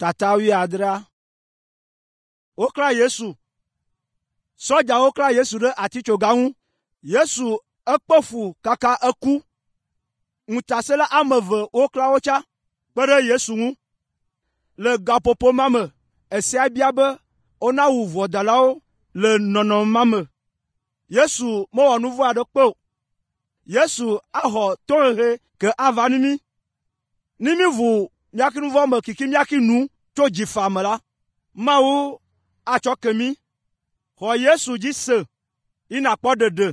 Tata wi adra. Okra Yesu. Soja okra Yesu de atichoga ŋu. Yesu ekpefu kaka eku. Ŋutasela ameve okra ocha. Kpere Yesu ŋu. Le gapopo mame. Esia bia be ona wu vodalao le nono mame. Yesu mowɔ nuvo aɖe kpe o. Yesu axɔ tohehe ke ava nimi. Nimi vu miaki nuvo me kiki miaki nu tso dzifa me la. Mawu atsɔ kemi. Xɔ Yesu dzi se. Ina kpɔ dede.